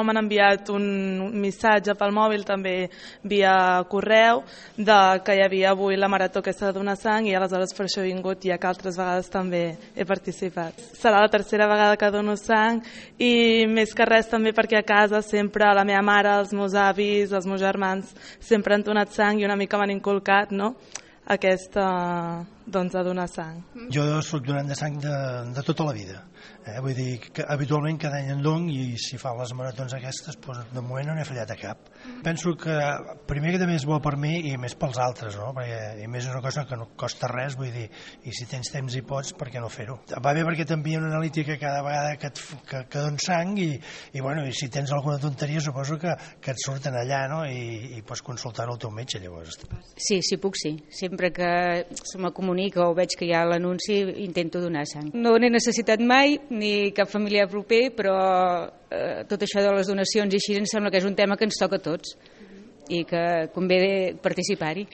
M'han enviat un missatge pel mòbil, també via correu, que hi havia avui la marató aquesta de donar sang i aleshores per això he vingut, ja que altres vegades també he participat. Serà la tercera vegada que dono sang i més que res també perquè a casa sempre la meva mare, els meus avis, els meus germans sempre han donat sang i una mica m'han inculcat, no?, aquesta, doncs, de donar sang. Jo soc donant de sang de tota la vida. Vull dir que habitualment cada any en dono i si fa les maratons aquestes, doncs, de moment no n'he fallat a cap. Penso que primer que també és bo per mi i més pels altres, no? Perquè a més és una cosa que no costa res, vull dir, i si tens temps i pots, per què no fer-ho? Va bé perquè t'envien una analítica cada vegada que dones sang i si tens alguna tonteria suposo que et surten allà, no? I pots consultar-ho al teu metge, llavors. Sí, si puc, sí. Sempre que se me comunica o veig que hi ha l'anunci, intento donar sang. No n'he necessitat mai, ni cap familiar proper, però tot això de les donacions i així em sembla que és un tema que ens toca a tots i que convé participar-hi.